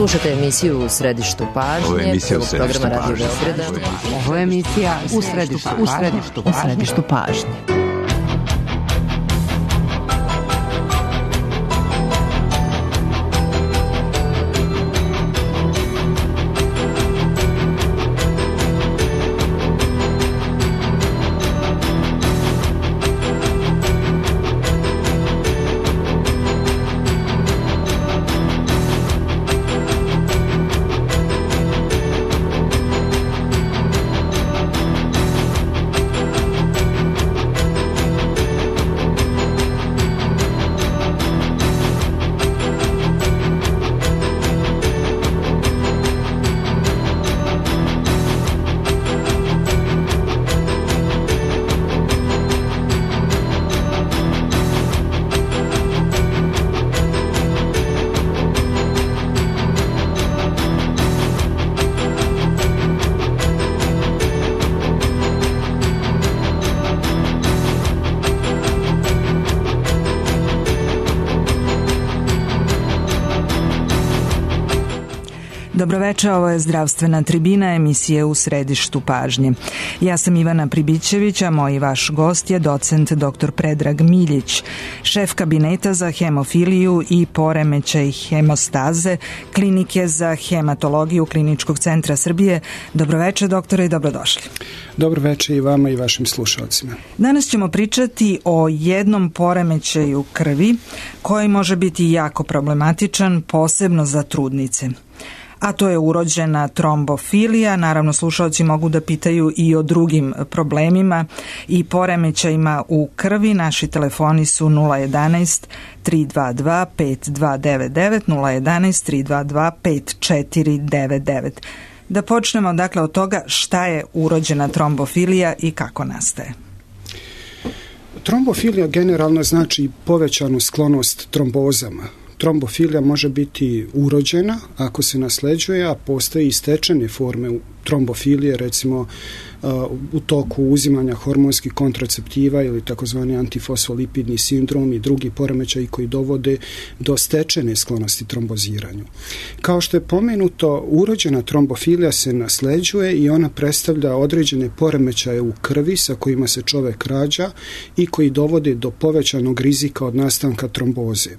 Slušajte emisiju U središtu pažnje. Ovo je emisija U središtu programa pažnje. Radio Beograda. Ovo je emisija U središtu pažnje. Dobroveče, ovo je Zdravstvena tribina, emisije U središtu pažnje. Ja sam Ivana Pribićević, a moj vaš gost je docent dr. Predrag Miljić, šef kabineta za hemofiliju i poremećaj hemostaze Klinike za hematologiju Kliničkog centra Srbije. Dobroveče, doktore, i dobrodošli. Dobroveče i vama i vašim slušalcima. Danas ćemo pričati o jednom poremećaju krvi koji može biti jako problematičan, posebno za trudnice. A to je urođena trombofilija. Naravno, slušalci mogu da pitaju i o drugim problemima i poremećajima u krvi. Naši telefoni su 011 322 5299, 011 322 5499. Da počnemo dakle od toga šta je urođena trombofilija i kako nastaje. Trombofilija generalno znači povećanu sklonost trombozama. Trombofilija može biti urođena ako se nasleđuje, a postoje i stečene forme trombofilije, recimo u toku uzimanja hormonskih kontraceptiva ili takozvani antifosfolipidni sindrom i drugi poremećaji koji dovode do stečene sklonosti tromboziranju. Kao što je pomenuto, urođena trombofilija se nasleđuje i ona predstavlja određene poremećaje u krvi sa kojima se čovek rađa i koji dovode do povećanog rizika od nastanka tromboze.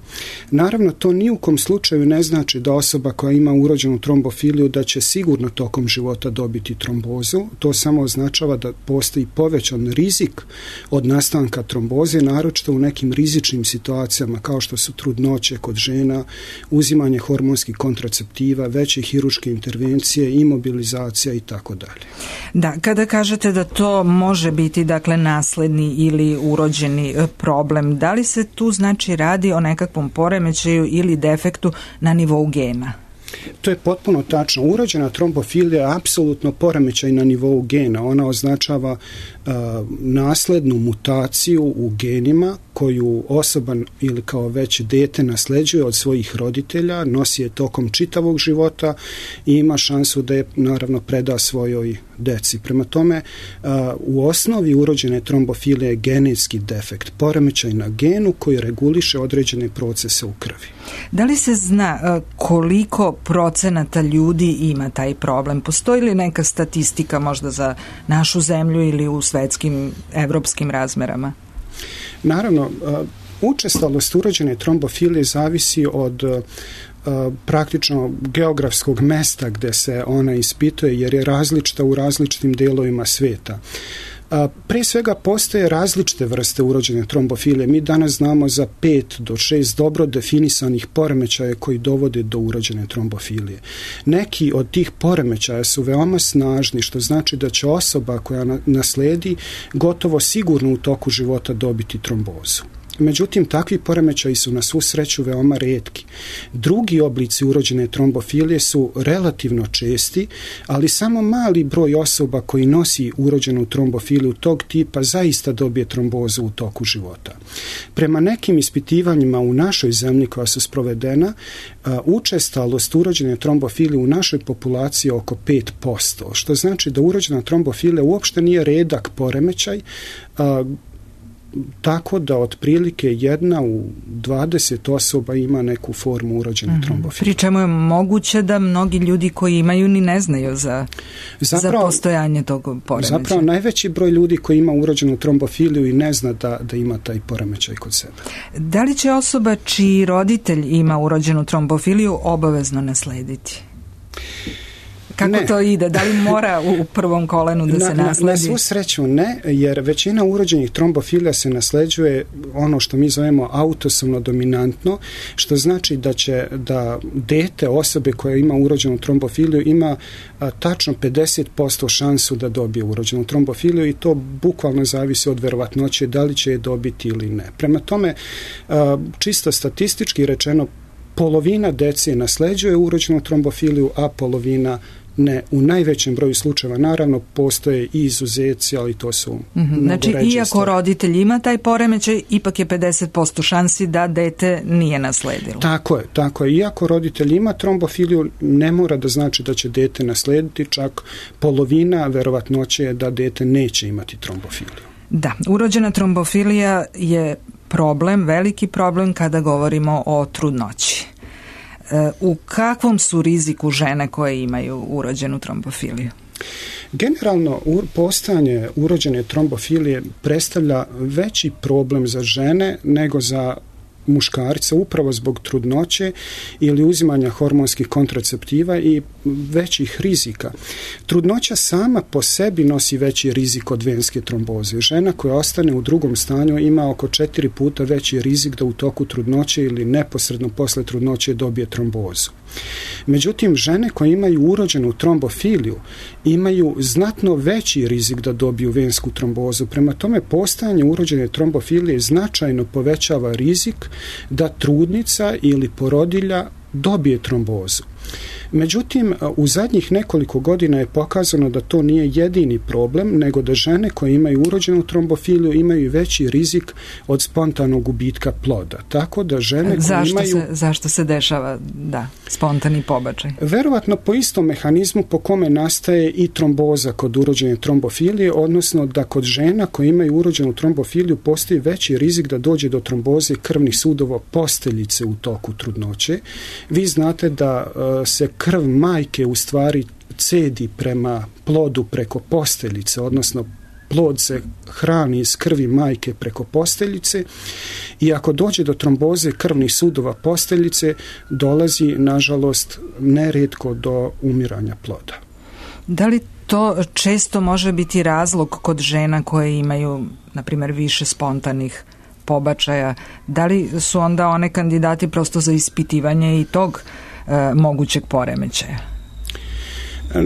Naravno, to ni u kom slučaju ne znači da osoba koja ima urođenu trombofiliju da će sigurno tokom života dobiti trombozu. To samo označava da postoji povećan rizik od nastanka tromboze, naročito u nekim rizičnim situacijama kao što su trudnoće kod žena, uzimanje hormonskih kontraceptiva, veće hirurške intervencije, imobilizacija i tako dalje. Da, kada kažete da to može biti dakle nasledni ili urođeni problem, da li se tu znači radi o nekakvom poremećaju ili defektu na nivou gena? To je potpuno tačno. Urođena trombofilija je apsolutno poremećaj na nivou gena. Ona označava naslednu mutaciju u genima koju osoba ili kao već dete nasleđuje od svojih roditelja, nosi je tokom čitavog života i ima šansu da je naravno preda svojoj deci. Prema tome, u osnovi urođene trombofilije je genetski defekt, poremećaj na genu koji reguliše određene procese u krvi. Da li se zna koliko procenata ljudi ima taj problem? Postoji li neka statistika možda za našu zemlju ili u svetskim, evropskim razmerama? Naravno, učestalost urođene trombofilije zavisi od praktično geografskog mesta gde se ona ispituje, jer je različita u različitim delovima sveta. Pre svega postoje različite vrste urođene trombofilije. Mi danas znamo za 5 do 6 dobro definisanih poremećaja koji dovode do urođene trombofilije. Neki od tih poremećaja su veoma snažni, što znači da će osoba koja nasledi gotovo sigurno u toku života dobiti trombozu. Međutim, takvi poremećaji su na svu sreću veoma retki. Drugi oblici urođene trombofilije su relativno česti, ali samo mali broj osoba koji nosi urođenu trombofiliju tog tipa zaista dobije trombozu u toku života. Prema nekim ispitivanjima u našoj zemlji koja su sprovedena, učestalost urođene trombofilije u našoj populaciji je oko 5%, što znači da urođena trombofilija uopšte nije redak poremećaj, tako da otprilike 1 u 20 osoba ima neku formu urođene trombofilije. Pri čemu je moguće da mnogi ljudi koji imaju ni ne znaju za postojanje tog poremećaja. Zapravo najveći broj ljudi koji ima urođenu trombofiliju i ne zna da ima taj poremećaj kod sebe. Da li će osoba čiji roditelj ima urođenu trombofiliju obavezno naslediti? Kako to ide? Da li mora u prvom kolenu da se nasledi? Na svu sreću ne, jer većina urođenih trombofilija se nasleđuje ono što mi zovemo autosomno dominantno, što znači da dete osobe koja ima urođenu trombofiliju ima tačno 50% šansu da dobije urođenu trombofiliju i to bukvalno zavisi od verovatnoće da li će je dobiti ili ne. Prema tome, čisto statistički rečeno, polovina dece nasleđuje urođenu trombofiliju, a polovina ne. U najvećem broju slučajeva naravno postoje i izuzeci, ali to su znači, iako roditelj ima taj poremećaj, ipak je 50% šansi da dete nije nasledilo. Tako je. Iako roditelj ima trombofiliju, ne mora da znači da će dete naslediti, čak polovina verovatnoće je da dete neće imati trombofiliju. Da, urođena trombofilija je problem, veliki problem kada govorimo o trudnoći. U kakvom su riziku žene koje imaju urođenu trombofiliju? Generalno, postojanje urođene trombofilije predstavlja veći problem za žene nego za muškarca upravo zbog trudnoće ili uzimanja hormonskih kontraceptiva i većih rizika. Trudnoća sama po sebi nosi veći rizik od venske tromboze. Žena koja ostane u drugom stanju ima oko 4 puta veći rizik da u toku trudnoće ili neposredno posle trudnoće dobije trombozu. Međutim, žene koje imaju urođenu trombofiliju imaju znatno veći rizik da dobiju vensku trombozu. Prema tome, postojanje urođene trombofilije značajno povećava rizik da trudnica ili porodilja dobije trombozu. Međutim, u zadnjih nekoliko godina je pokazano da to nije jedini problem, nego da žene koje imaju urođenu trombofiliju imaju veći rizik od spontanog gubitka ploda. Tako da žene koje imaju... Zašto se dešava spontani pobačaj? Verovatno po istom mehanizmu po kome nastaje i tromboza kod urođene trombofilije, odnosno da kod žena koje imaju urođenu trombofiliju postoji veći rizik da dođe do tromboze krvnih sudova posteljice u toku trudnoće. Vi znate da se krv majke u stvari cedi prema plodu preko posteljice, odnosno plod se hrani iz krvi majke preko posteljice i ako dođe do tromboze krvnih sudova posteljice, dolazi, nažalost, nerijetko do umiranja ploda. Da li to često može biti razlog kod žena koje imaju, na primjer, više spontanih pobačaja? Da li su onda one kandidati prosto za ispitivanje i tog mogućeg poremećaja?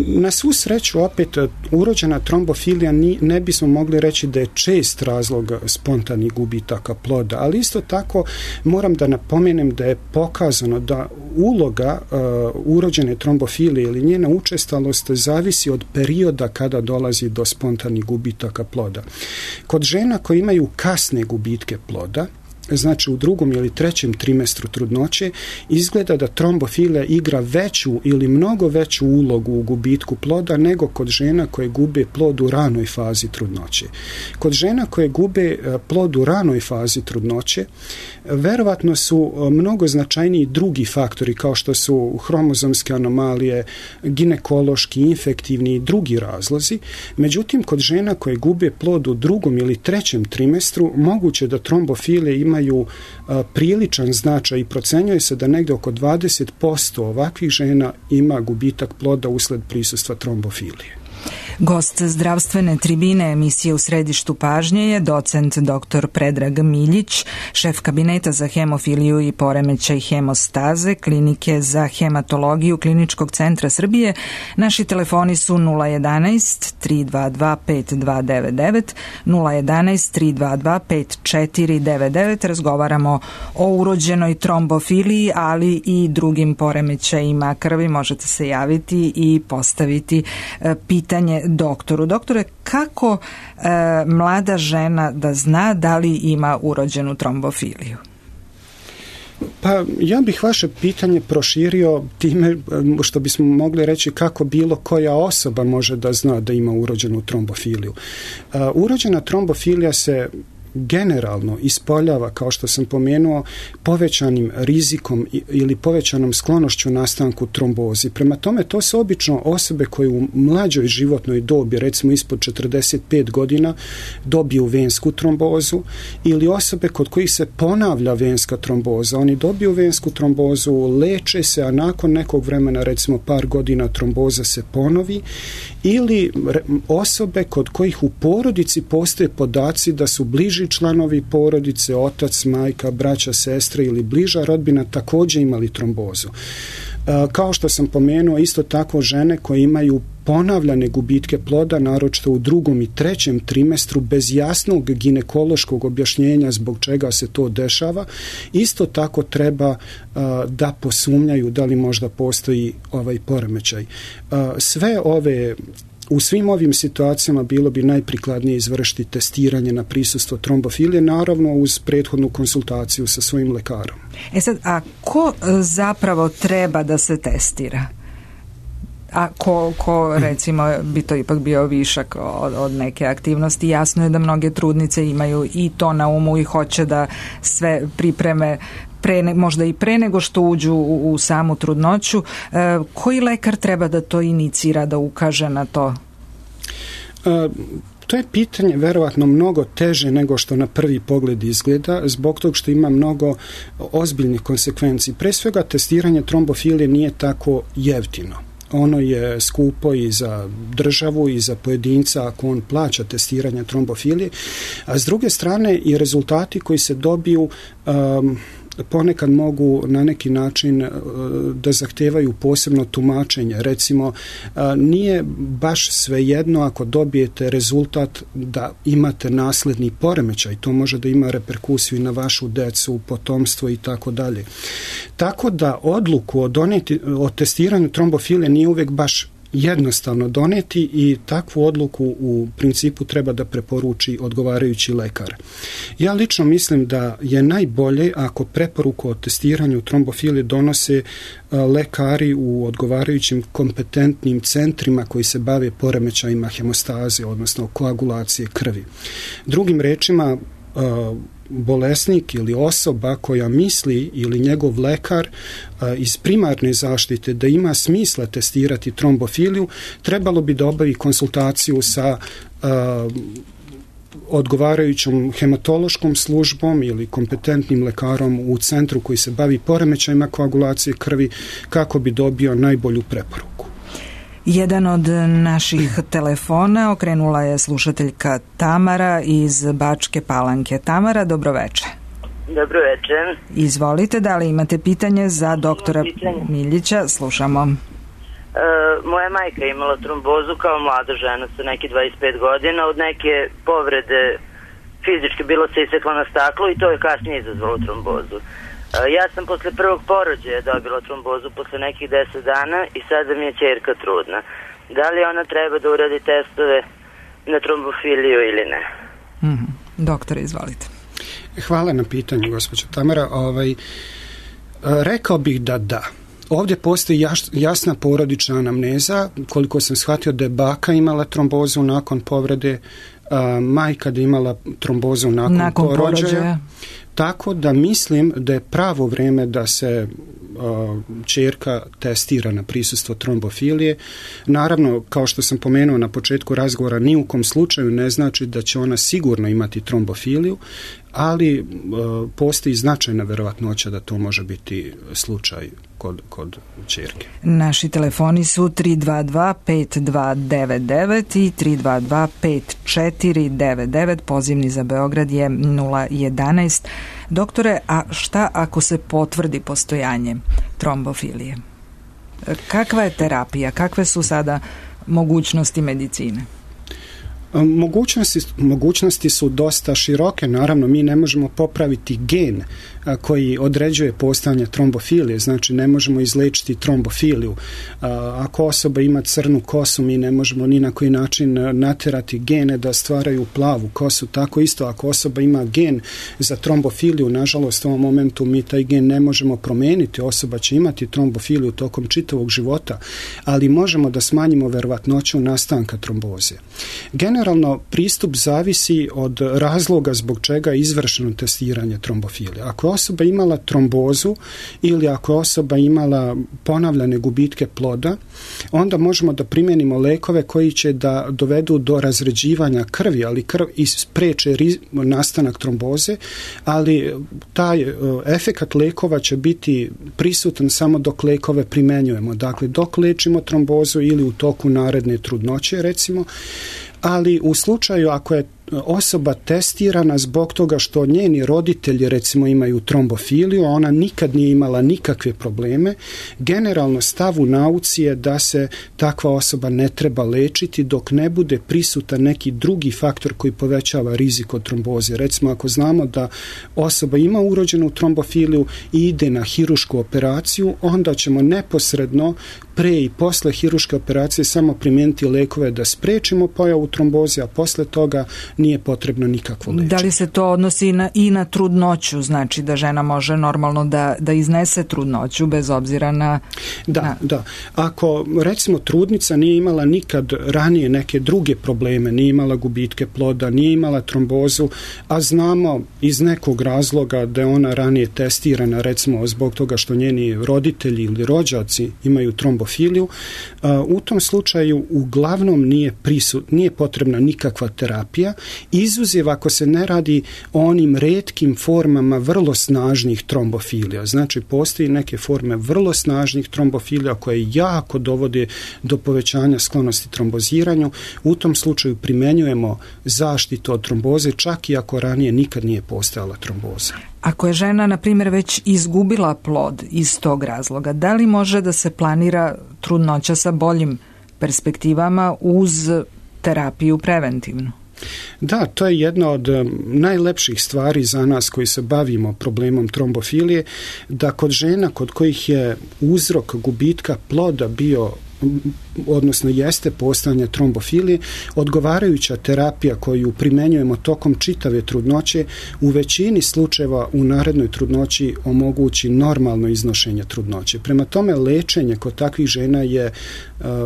Na svu sreću, opet, urođena trombofilija ne bismo mogli reći da je čest razlog spontanih gubitaka ploda, ali isto tako moram da napomenem da je pokazano da uloga urođene trombofilije ili njena učestalost zavisi od perioda kada dolazi do spontanih gubitaka ploda. Kod žena koje imaju kasne gubitke ploda, znači u drugom ili trećem trimestru trudnoće, izgleda da trombofilija igra veću ili mnogo veću ulogu u gubitku ploda nego kod žena koje gube plod u ranoj fazi trudnoće. Kod žena koje gube plod u ranoj fazi trudnoće, verovatno su mnogo značajniji drugi faktori kao što su hromozomske anomalije, ginekološki, infektivni i drugi razlozi. Međutim, kod žena koje gube plod u drugom ili trećem trimestru, moguće da trombofilije imaju priličan značaj i procenjuje se da negdje oko 20% ovakvih žena ima gubitak ploda usled prisustva trombofilije. Gost zdravstvene tribine emisije U središtu pažnje je docent dr. Predrag Miljić, šef kabineta za hemofiliju i poremećaj hemostaze Klinike za hematologiju Kliničkog centra Srbije. Naši telefoni su 011 322 5299, 011 322 5499. Razgovaramo o urođenoj trombofiliji, ali i drugim poremećajima krvi. Možete se javiti i postaviti pitanje doktoru. Doktore, kako mlada žena da zna da li ima urođenu trombofiliju? Pa ja bih vaše pitanje proširio time što bismo mogli reći kako bilo koja osoba može da zna da ima urođenu trombofiliju. Urođena trombofilija se generalno ispoljava, kao što sam pomenuo, povećanim rizikom ili povećanom sklonošću nastanku trombozi. Prema tome, to su obično osobe koje u mlađoj životnoj dobi, recimo ispod 45 godina, dobiju vensku trombozu, ili osobe kod kojih se ponavlja venska tromboza. Oni dobiju vensku trombozu, leče se, a nakon nekog vremena, recimo par godina, tromboza se ponovi, ili osobe kod kojih u porodici postoje podaci da su bliži članovi porodice, otac, majka, braća, sestre ili bliža rodbina također imali trombozu. Kao što sam pomenuo, isto tako žene koje imaju ponavljane gubitke ploda, naročito u 2. i 3. trimestru, bez jasnog ginekološkog objašnjenja zbog čega se to dešava, isto tako treba da posumnjaju da li možda postoji ovaj poremećaj. U svim ovim situacijama bilo bi najprikladnije izvršiti testiranje na prisustvo trombofilije, naravno uz prethodnu konsultaciju sa svojim lekarom. Sad, a ko zapravo treba da se testira? A ko recimo bi to ipak bio višak od neke aktivnosti? Jasno je da mnoge trudnice imaju i to na umu i hoće da sve pripreme možda i pre nego što uđu u samu trudnoću. Koji lekar treba da to inicira, da ukaže na to? To je pitanje verovatno mnogo teže nego što na prvi pogled izgleda, zbog tog što ima mnogo ozbiljnih konsekvenci. Pre svega, testiranje trombofilije nije tako jeftino. Ono je skupo i za državu i za pojedinca ako on plaća testiranje trombofilije, a s druge strane i rezultati koji se dobiju ponekad mogu na neki način da zahtevaju posebno tumačenje. Recimo, nije baš svejedno ako dobijete rezultat da imate nasledni poremećaj. To može da ima reperkusiju i na vašu decu, potomstvo i tako dalje. Tako da odluku o testiranju trombofilije nije uvijek baš jednostavno doneti i takvu odluku u principu treba da preporuči odgovarajući lekar. Ja lično mislim da je najbolje ako preporuku o testiranju trombofilije donose lekari u odgovarajućim kompetentnim centrima koji se bave poremećajima hemostaze, odnosno koagulacije krvi. Drugim rečima, bolesnik ili osoba koja misli ili njegov lekar iz primarne zaštite da ima smisla testirati trombofiliju, trebalo bi da obavi konsultaciju sa odgovarajućom hematološkom službom ili kompetentnim lekarom u centru koji se bavi poremećajima koagulacije krvi kako bi dobio najbolju preporuku. Jedan od naših telefona okrenula je slušateljka Tamara iz Bačke Palanke. Tamara, dobroveče. Dobroveče. Izvolite, da li imate pitanje za doktora Miljića? Slušamo. Moja majka je imala trombozu kao mlada žena sa neki 25 godina. Od neke povrede fizički bilo se isekla na staklo i to je kasnije izazvalo trombozu. Ja sam posle prvog porođaja dobila trombozu posle nekih 10 dana i sada mi je ćerka trudna. Da li ona treba da uradi testove na trombofiliju ili ne? Doktore, izvolite. Hvala na pitanju, gospođo Tamara. Rekao bih da. Ovdje postoji jasna porodična anamneza, koliko sam shvatio da je baka imala trombozu nakon povrede, majka da je imala trombozu nakon porođaja. Tako da mislim da je pravo vrijeme da se ćerka testira na prisustvo trombofilije. Naravno, kao što sam pomenuo na početku razgovora, ni u kom slučaju ne znači da će ona sigurno imati trombofiliju, ali postoji značajna verovatnoća da to može biti slučaj kod ćerke. Naši telefoni su 322-5299 i 322-5499. Pozivni za Beograd je 011. Doktore, a šta ako se potvrdi postojanje trombofilije? Kakva je terapija? Kakve su sada mogućnosti medicine? Mogućnosti su dosta široke. Naravno, mi ne možemo popraviti gen koji određuje postojanje trombofilije, znači ne možemo izlečiti trombofiliju. Ako osoba ima crnu kosu, mi ne možemo ni na koji način naterati gene da stvaraju plavu kosu. Tako isto, ako osoba ima gen za trombofiliju, nažalost u ovom momentu mi taj gen ne možemo promeniti, osoba će imati trombofiliju tokom čitavog života, ali možemo da smanjimo verovatnoću nastanka tromboze. Generalno, pristup zavisi od razloga zbog čega je izvršeno testiranje trombofilije. Ako je osoba imala trombozu ili ako je osoba imala ponavljane gubitke ploda, onda možemo da primijenimo lekove koji će da dovedu do razređivanja krvi, ali krv spreče nastanak tromboze, ali taj efekat lekova će biti prisutan samo dok lekove primjenjujemo. Dakle, dok lečimo trombozu ili u toku naredne trudnoće, recimo, ali u slučaju ako je osoba testirana zbog toga što njeni roditelji recimo imaju trombofiliju, a ona nikad nije imala nikakve probleme, generalno stav u nauci je da se takva osoba ne treba lečiti dok ne bude prisutan neki drugi faktor koji povećava rizik od tromboze. Recimo ako znamo da osoba ima urođenu trombofiliju i ide na hirušku operaciju, onda ćemo neposredno pre i posle hiruške operacije samo primijeniti lekove da sprečimo pojavu tromboze, a posle toga nije potrebno nikakvo lečenje. Da li se to odnosi i na trudnoću, znači da žena može normalno da iznese trudnoću bez obzira na... Da. Ako recimo trudnica nije imala nikad ranije neke druge probleme, nije imala gubitke ploda, nije imala trombozu, a znamo iz nekog razloga da je ona ranije testirana, recimo zbog toga što njeni roditelji ili rođaci imaju trombofiliju, u tom slučaju uglavnom nije potrebna nikakva terapija, izuzev ako se ne radi o onim retkim formama vrlo snažnih trombofilija. Znači, postoji neke forme vrlo snažnih trombofilija koje jako dovode do povećanja sklonosti tromboziranju. U tom slučaju primjenjujemo zaštitu od tromboze, čak i ako ranije nikad nije postojala tromboza. Ako je žena, na primjer, već izgubila plod iz tog razloga, da li može da se planira trudnoća sa boljim perspektivama uz terapiju preventivnu? Da, to je jedna od najlepših stvari za nas koji se bavimo problemom trombofilije, da kod žena kod kojih je uzrok gubitka ploda bio, odnosno jeste postojanje trombofilije, odgovarajuća terapija koju primjenjujemo tokom čitave trudnoće u većini slučajeva u narednoj trudnoći omogući normalno iznošenje trudnoće. Prema tome, lečenje kod takvih žena je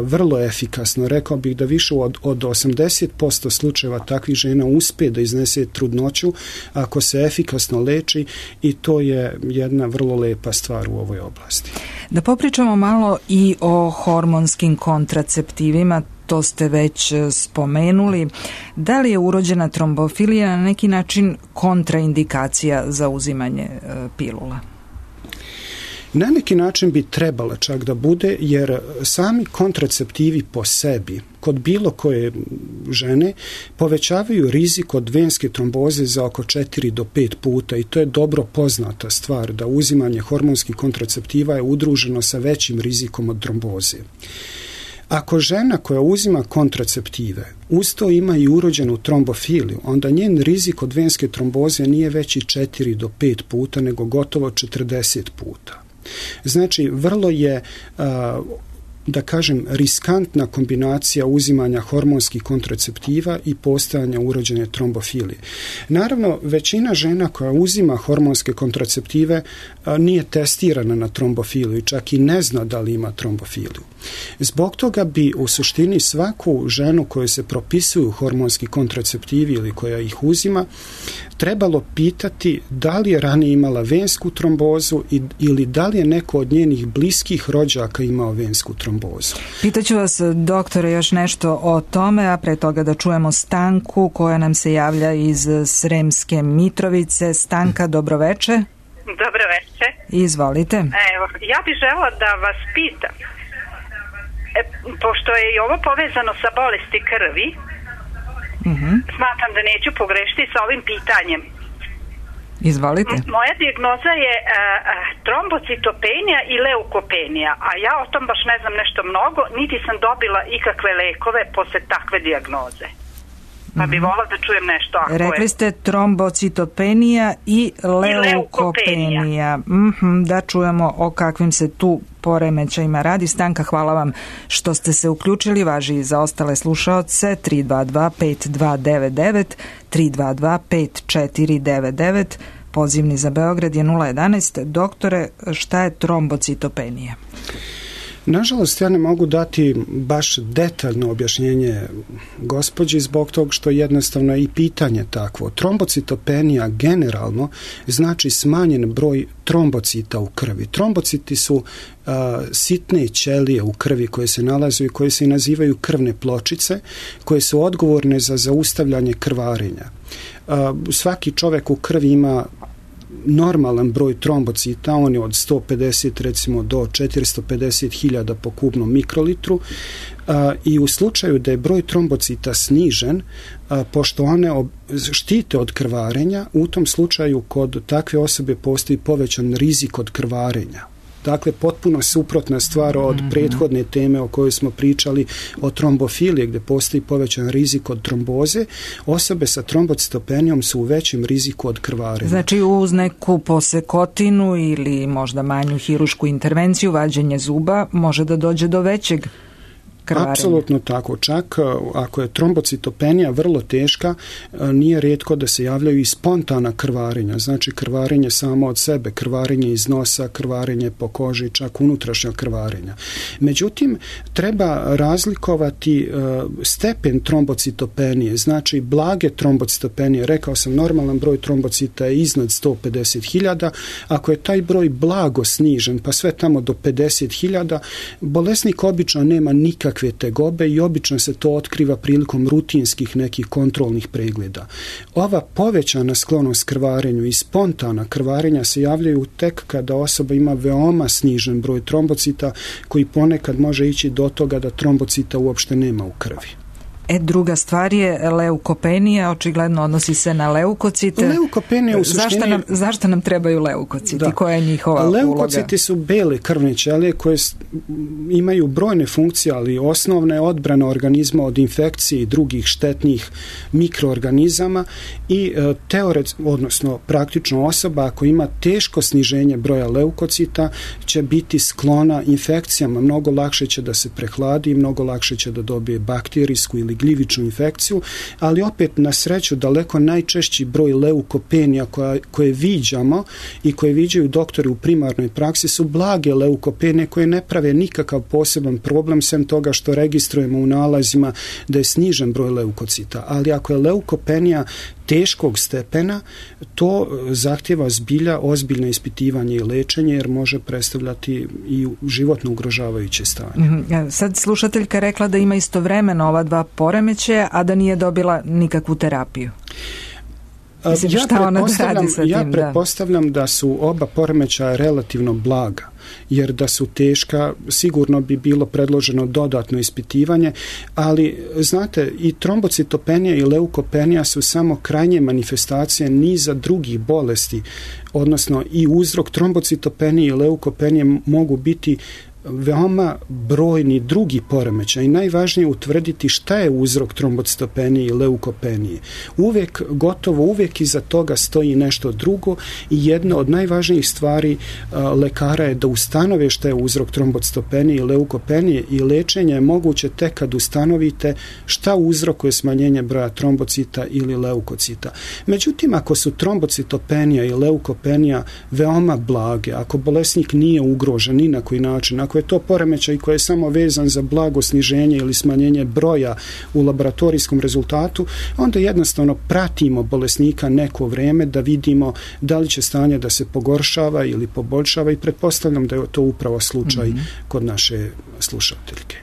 vrlo efikasno. Rekao bih da više od 80% slučajeva takvih žena uspe da iznese trudnoću ako se efikasno leči, i to je jedna vrlo lepa stvar u ovoj oblasti. Da popričamo malo i o hormonskim kontraceptivima, to ste već spomenuli. Da li je urođena trombofilija na neki način kontraindikacija za uzimanje pilula? Na neki način bi trebala čak da bude, jer sami kontraceptivi po sebi kod bilo koje žene povećavaju rizik od venske tromboze za oko 4 do 5 puta, i to je dobro poznata stvar da uzimanje hormonskih kontraceptiva je udruženo sa većim rizikom od tromboze. Ako žena koja uzima kontraceptive uz to ima i urođenu trombofiliju, onda njen rizik od venske tromboze nije veći 4 do 5 puta, nego gotovo 40 puta. Znači, vrlo je, da kažem, riskantna kombinacija uzimanja hormonskih kontraceptiva i postojanja urođene trombofilije. Naravno, većina žena koja uzima hormonske kontraceptive nije testirana na trombofiliju i čak i ne zna da li ima trombofiliju. Zbog toga bi u suštini svaku ženu koju se propisuju hormonski kontraceptivi ili koja ih uzima trebalo pitati da li je ranije imala vensku trombozu ili da li je neko od njenih bliskih rođaka imao vensku trombozu. Pitaću vas, doktore, još nešto o tome, a pre toga da čujemo Stanku koja nam se javlja iz Sremske Mitrovice. Stanka, dobroveče. Dobroveče. Izvolite. Evo, ja bih žela da vas pitam, pošto je i ovo povezano sa bolesti krvi, smatram da neću pogrešiti sa ovim pitanjem. Izvolite. Moja dijagnoza je trombocitopenija i leukopenija, a ja o tom baš ne znam nešto mnogo, niti sam dobila ikakve lekove posle takve dijagnoze. pa bi volila da čujem nešto. Rekli ste trombocitopenija i leukopenija. Da čujemo o kakvim se tu poremećajima radi. Stanka, hvala vam što ste se uključili. Važi i za ostale slušaoce 322-5299, 322-5499. Pozivni za Beograd je 011. Doktore, šta je trombocitopenija? Nažalost, ja ne mogu dati baš detaljno objašnjenje gospođi zbog toga što jednostavno je i pitanje takvo. Trombocitopenija generalno znači smanjen broj trombocita u krvi. Trombociti su sitne ćelije u krvi koje se nalaze i koje se nazivaju krvne pločice, koje su odgovorne za zaustavljanje krvarenja. Svaki čovjek u krvi ima normalan broj trombocita, on je od 150 recimo do 450.000 po kubnom mikrolitru, i u slučaju da je broj trombocita snižen, pošto one štite od krvarenja, u tom slučaju kod takve osobe postoji povećan rizik od krvarenja. Dakle, potpuno suprotna stvar od prethodne teme o kojoj smo pričali o trombofiliji, gdje postoji povećan rizik od tromboze. Osobe sa trombocitopenijom su u većem riziku od krvarenja. Znači, uz neku posekotinu ili možda manju hirušku intervenciju, vađenje zuba, može da dođe do većeg krvarenja. Apsolutno tako. Čak ako je trombocitopenija vrlo teška, nije rijetko da se javljaju i spontana krvarenja. Znači krvarenje samo od sebe, krvarenje iz nosa, krvarenje po koži, čak unutrašnja krvarenja. Međutim, treba razlikovati stepen trombocitopenije. Znači blage trombocitopenije, rekao sam, normalan broj trombocita je iznad 150.000. Ako je taj broj blago snižen, pa sve tamo do 50.000, bolesnik obično nema nikakve tegobe i obično se to otkriva prilikom rutinskih nekih kontrolnih pregleda. Ova povećana sklonost krvarenju i spontana krvarenja se javljaju tek kada osoba ima veoma snižen broj trombocita, koji ponekad može ići do toga da trombocita uopšte nema u krvi. Druga stvar je leukopenija, očigledno odnosi se na leukocite. Leukopenija u suštini... Zašto nam trebaju leukociti? Koja je njihova uloga? Leukociti su bele krvne ćelije koje imaju brojne funkcije, ali osnovna je odbrana organizma od infekcije i drugih štetnih mikroorganizama i odnosno praktično osoba ako ima teško sniženje broja leukocita će biti sklona infekcijama, mnogo lakše će da se prehladi, mnogo lakše će da dobije bakterijsku ili gljivičnu infekciju, ali opet na sreću daleko najčešći broj leukopenija koje viđamo i koje viđaju doktori u primarnoj praksi su blage leukopenije koje ne prave nikakav poseban problem sem toga što registrujemo u nalazima da je snižen broj leukocita. Ali ako je leukopenija teškog stepena, to zahtjeva zbilja ozbiljno ispitivanje i lečenje jer može predstavljati i životno ugrožavajuće stanje. Sad slušateljka rekla da ima istovremeno ova dva poremećaja, a da nije dobila nikakvu terapiju. Mislim, ja pretpostavljam da su oba poremećaja relativno blaga, jer da su teška sigurno bi bilo predloženo dodatno ispitivanje, ali znate i trombocitopenija i leukopenija su samo krajnje manifestacije niza drugih bolesti, odnosno i uzrok trombocitopenije i leukopenije mogu biti veoma brojni drugi poremećaj i najvažnije je utvrditi šta je uzrok trombocitopenije i leukopenije. Gotovo uvijek iza toga stoji nešto drugo i jedna od najvažnijih stvari lekara je da ustanove šta je uzrok trombocitopenije i leukopenije i lečenje je moguće tek kad ustanovite šta uzrokuje smanjenje broja trombocita ili leukocita. Međutim, ako su trombocitopenija i leukopenija veoma blage, ako bolesnik nije ugrožen ni na koji način, ako je to poremećaj koji je samo vezan za blago sniženje ili smanjenje broja u laboratorijskom rezultatu, onda jednostavno pratimo bolesnika neko vrijeme da vidimo da li će stanje da se pogoršava ili poboljšava i pretpostavljam da je to upravo slučaj kod naše slušateljke.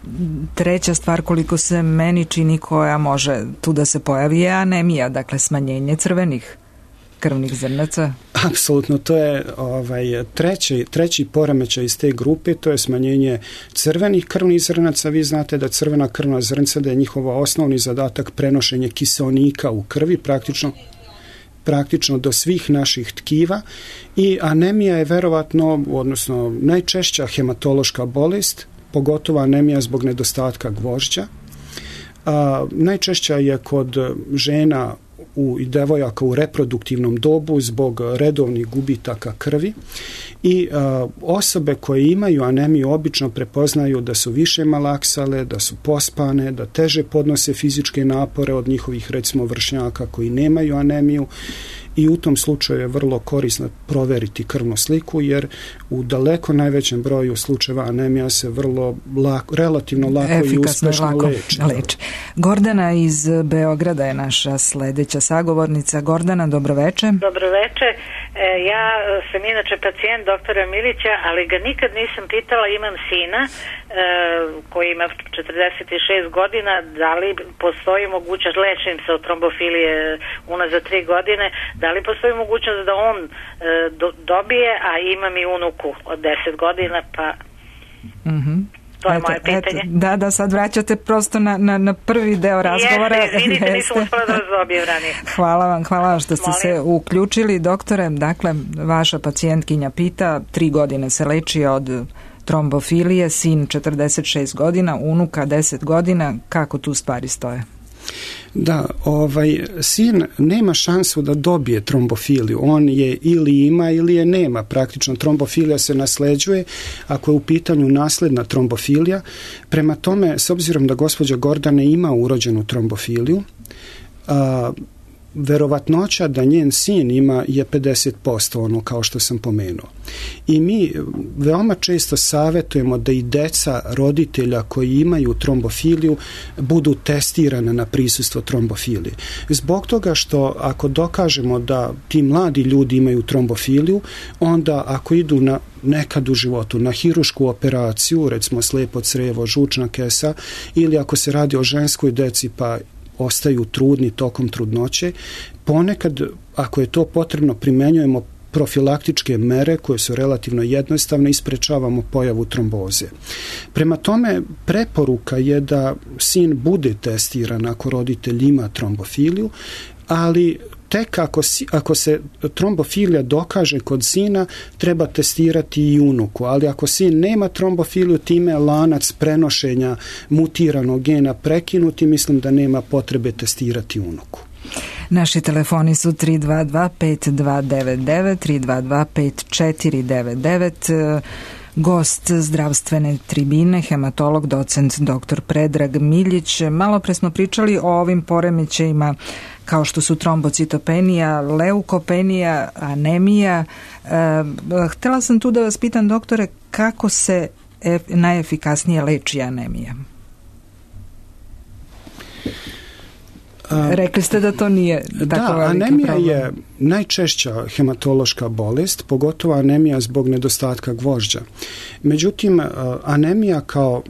Treća stvar, koliko se meni čini, koja može tu da se pojavi je anemija, dakle smanjenje crvenih krvnih zrnaca. Apsolutno, to je treći poremećaj iz te grupe, to je smanjenje crvenih krvnih zrnaca. Vi znate da crvena krvna zrnca, da je njihova osnovni zadatak prenošenje kiseonika u krvi, praktično do svih naših tkiva i anemija je verovatno, odnosno najčešća hematološka bolest, pogotovo anemija zbog nedostatka gvožđa. Najčešća je kod žena i devojaka u reproduktivnom dobu zbog redovnih gubitaka krvi i osobe koje imaju anemiju obično prepoznaju da su više malaksale, da su pospane, da teže podnose fizičke napore od njihovih recimo vršnjaka koji nemaju anemiju i u tom slučaju je vrlo korisno proveriti krvnu sliku jer u daleko najvećem broju slučajeva anemija se vrlo relativno lako i uspešno leči. Gordana iz Beograda je naša sledeća sagovornica. Gordana, dobroveče. Dobroveče. Ja sam inače pacijent doktora Milića, ali ga nikad nisam pitala, imam sina koji ima 46 godina, da li postoji mogućnost, lečim se od trombofilije unazad 3 godine, da li postoji mogućnost da on dobije, a imam i unuku od 10 godina, pa to je moje pitanje. Da, sad vraćate prosto na prvi deo razgovora. Izvinite, nisam uspela da dobijem ranije. Hvala vam što ste se uključili, doktore. Dakle, vaša pacijentkinja pita, 3 godine se leči od trombofilije, sin 46 godina, unuka 10 godina, kako tu stvari stoje? Da, sin nema šansu da dobije trombofiliju. On je ili ima ili je nema. Praktično trombofilija se nasleđuje ako je u pitanju nasledna trombofilija. Prema tome, s obzirom da gospođa Gordana ima urođenu trombofiliju, verovatnoća da njen sin ima je 50%, ono kao što sam pomenuo. I mi veoma često savjetujemo da i deca roditelja koji imaju trombofiliju budu testirane na prisustvo trombofilije. Zbog toga što ako dokažemo da ti mladi ljudi imaju trombofiliju, onda ako idu nekad u životu na hirušku operaciju, recimo slijepo crijevo, žučna kesa, ili ako se radi o ženskoj deci pa ostaju trudni tokom trudnoće, ponekad, ako je to potrebno, primenjujemo profilaktičke mere koje su relativno jednostavne i sprečavamo pojavu tromboze. Prema tome, preporuka je da sin bude testiran ako roditelj ima trombofiliju, ali tek ako se trombofilija dokaže kod sina, treba testirati i unuku, ali ako sin nema trombofiliju, time je lanac prenošenja mutiranog gena prekinuti, mislim da nema potrebe testirati unuku. Naši telefoni su 322-5299, 322-5499, gost zdravstvene tribine, hematolog, docent dr. Predrag Miljić. Malo pre smo pričali o ovim poremećajima kao što su trombocitopenija, leukopenija, anemija. Htjela sam tu da vas pitam, doktore, kako se najefikasnije leči anemija? Rekli ste da to nije tako veliki anemija problem. Je najčešća hematološka bolest, pogotovo anemija zbog nedostatka gvožđa. Međutim, anemija kao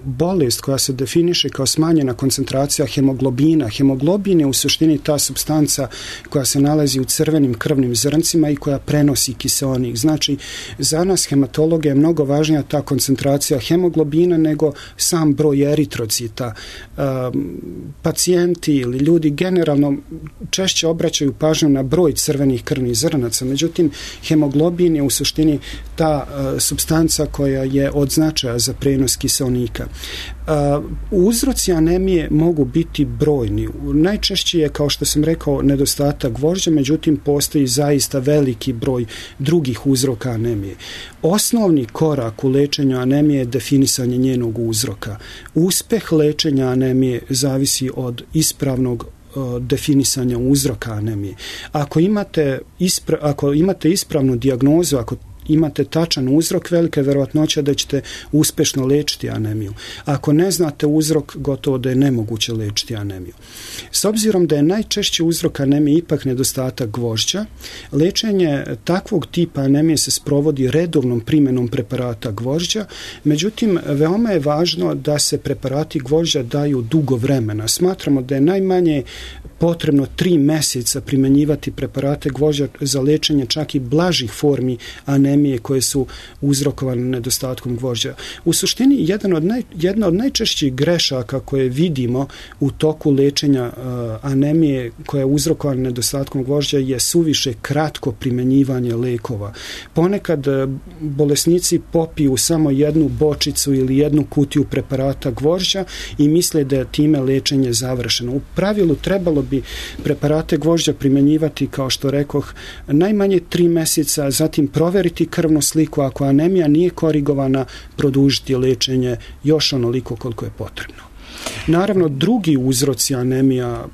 bolest koja se definiše kao smanjena koncentracija hemoglobina. Hemoglobin je u suštini ta supstanca koja se nalazi u crvenim krvnim zrncima i koja prenosi kiseonik. Znači, za nas hematologa je mnogo važnija ta koncentracija hemoglobina nego sam broj eritrocita. Pacijenti ili ljudi generalno češće obraćaju pažnju na broj crvenih krvnih zrnaca. Međutim, hemoglobin je u suštini ta supstanca koja je od značaja za prenos kiseonika. Uzroci anemije mogu biti brojni. Najčešće je, kao što sam rekao, nedostatak gvožđa, međutim postoji zaista veliki broj drugih uzroka anemije. Osnovni korak u lečenju anemije je definisanje njenog uzroka. Uspeh lečenja anemije zavisi od ispravnog definisanja uzroka anemije. Ako imate ispravnu dijagnozu, ako imate tačan uzrok, velika je verovatnoća da ćete uspešno lečiti anemiju. Ako ne znate uzrok, gotovo da je nemoguće lečiti anemiju. S obzirom da je najčešći uzrok anemije ipak nedostatak gvožđa, lečenje takvog tipa anemije se sprovodi redovnom primjenom preparata gvožđa, međutim, veoma je važno da se preparati gvožđa daju dugo vremena. Smatramo da je najmanje potrebno 3 meseca primjenjivati preparate gvožđa za lečenje čak i blažih formi anemije koje su uzrokovane nedostatkom gvožđa. U suštini jedna od najčešćih grešaka koje vidimo u toku lečenja anemije koja je uzrokovana nedostatkom gvožđa je suviše kratko primjenjivanje lekova. Ponekad bolesnici popiju samo jednu bočicu ili jednu kutiju preparata gvožđa i misle da je time lečenje završeno. U pravilu trebalo bi preparate gvožđa primjenjivati, kao što rekoh, najmanje 3 meseca, zatim proveriti krvnu sliku, ako anemija nije korigovana, produžiti lečenje još onoliko koliko je potrebno. Naravno, drugi uzroci anemija,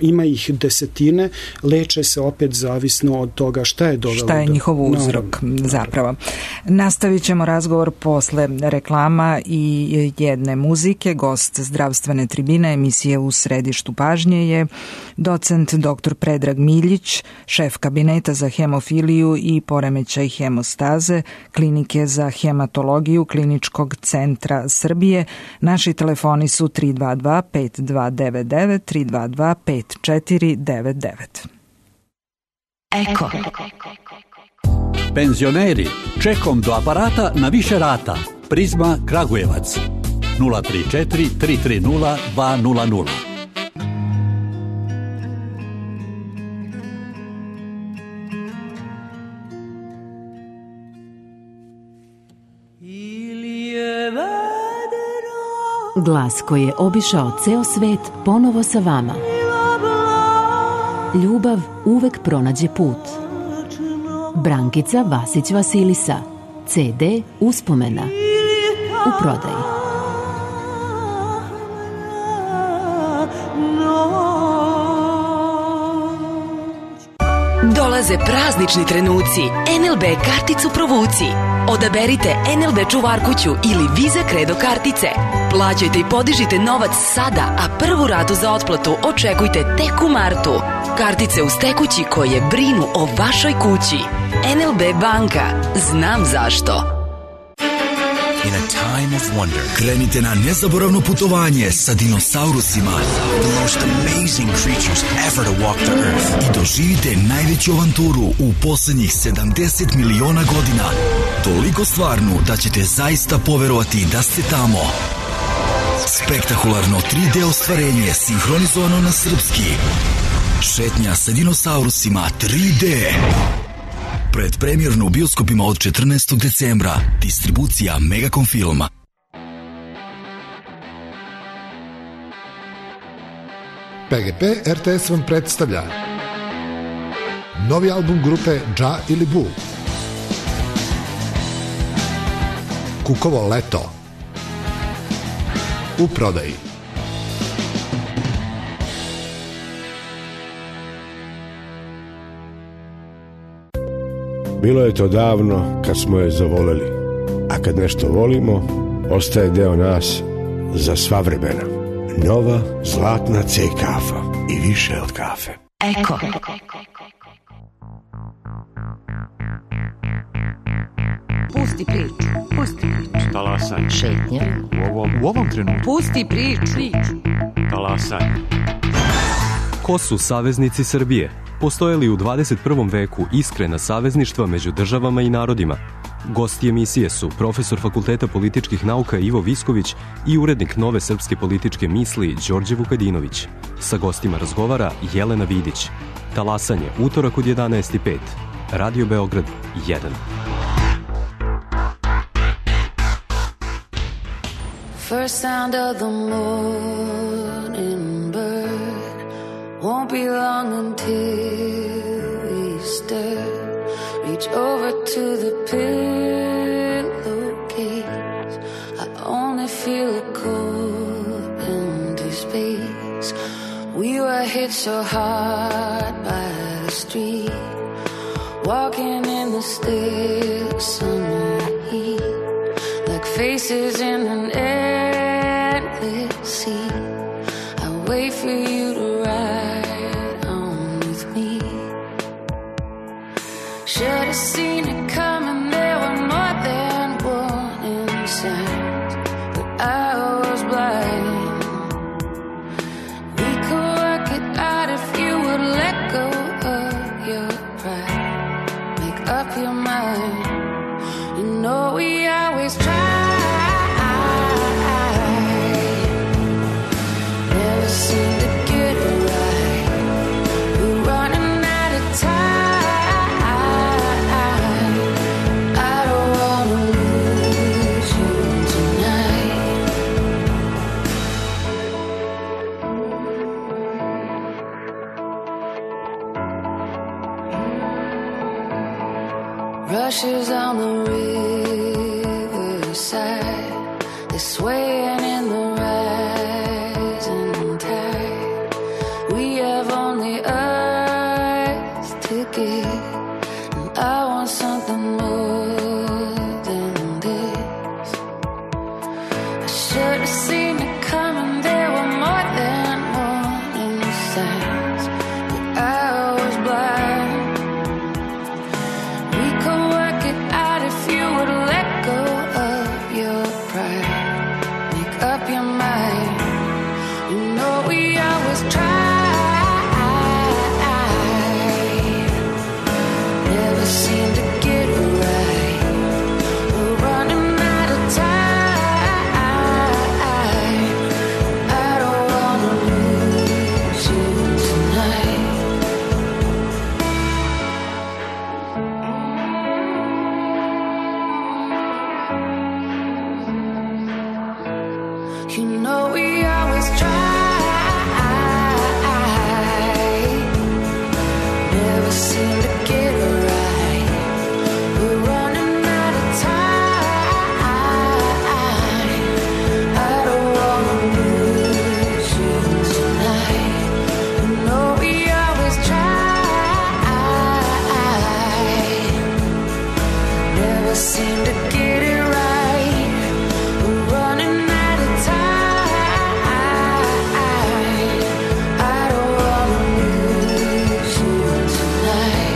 ima ih desetine, leče se opet zavisno od toga šta je dovelo. Šta je njihov uzrok zapravo. Nastavit ćemo razgovor posle reklama i jedne muzike. Gost zdravstvene tribine emisije U središtu pažnje je docent dr. Predrag Miljić, šef kabineta za hemofiliju i poremećaj hemostaze Klinike za hematologiju Kliničkog centra Srbije. Naši telefoni su 322-5299, 322-5499. Eko. Penzioneri, čekom do aparata na više rata. Prizma Kragujevac 034 330 200. Glas koji je obišao ceo svet ponovo sa vama. Ljubav uvek pronađe put. Brankica Vasić Vasilisa. CD Uspomena. U prodaji. Dolaze praznični trenuci. NLB karticu provuci. Odaberite NLB čuvarkuću ili Visa Credo kartice. Plaćajte i podižite novac sada, a prvu ratu za otplatu očekujte tek u martu. Kartice uz tekući koje brinu o vašoj kući. NLB banka. Znam zašto. In a time of wonder, krenite na nezaboravno putovanje sa dinosaurusima. The most amazing creatures ever to walk the earth. I doživite najveću avanturu u poslednjih 70 miliona godina. Toliko stvarnu da ćete zaista poverovati da ste tamo. Spektakularno 3D ostvarenje sinhronizovano na srpski. Šetnja sa dinosaurusima 3D. Predpremjerno u bioskopima od 14. decembra. Distribucija Megacom Filma. PGP RTS vam predstavlja novi album grupe Dža ili Bu. Kukovo leto. U prodaji. Bilo je to davno kad smo je zavoleli, a kad nešto volimo, ostaje deo nas za sva vremena. Nova zlatna C kafa i više od kafe. Eko. Pusti priču. Talasaj. Šetnja. U ovom trenutku. Pusti priču. Talasaj. Ko su saveznici Srbije? Postoje li u 21. veku iskrena savezništva među državama i narodima? Gosti emisije su profesor Fakulteta političkih nauka Ivo Visković i urednik Nove srpske političke misli Đorđe Vukadinović. Sa gostima razgovara Jelena Vidić. Talasanje, utorak od 11:05. Radio Beograd 1. First sound of the morning bird won't be long until we stir. Reach over to the pillowcase. I only feel a cold empty space. We were hit so hard by the street, walking in the still summer heat, like faces in an endless sea. I wait for you to ride on with me. Should have seen it coming, there were more than warning signs, but I was blind. We could work it out if ashes on the riverside. They're swaying in the rising tide. We have only earth to give, and I want something more than this. I should have seen it coming. There were more than warning signs, but I was blind. We could work it out if you would let go of your pride. Make up your mind. You know we always try. Never seem to get it right. We're running out of time. I don't wanna lose you tonight. You know we always try. Never seem to get it right. We're running out of time. I don't wanna lose you tonight. You know we always try. Never seem to get it right. We're running out of time. I don't wanna lose you tonight.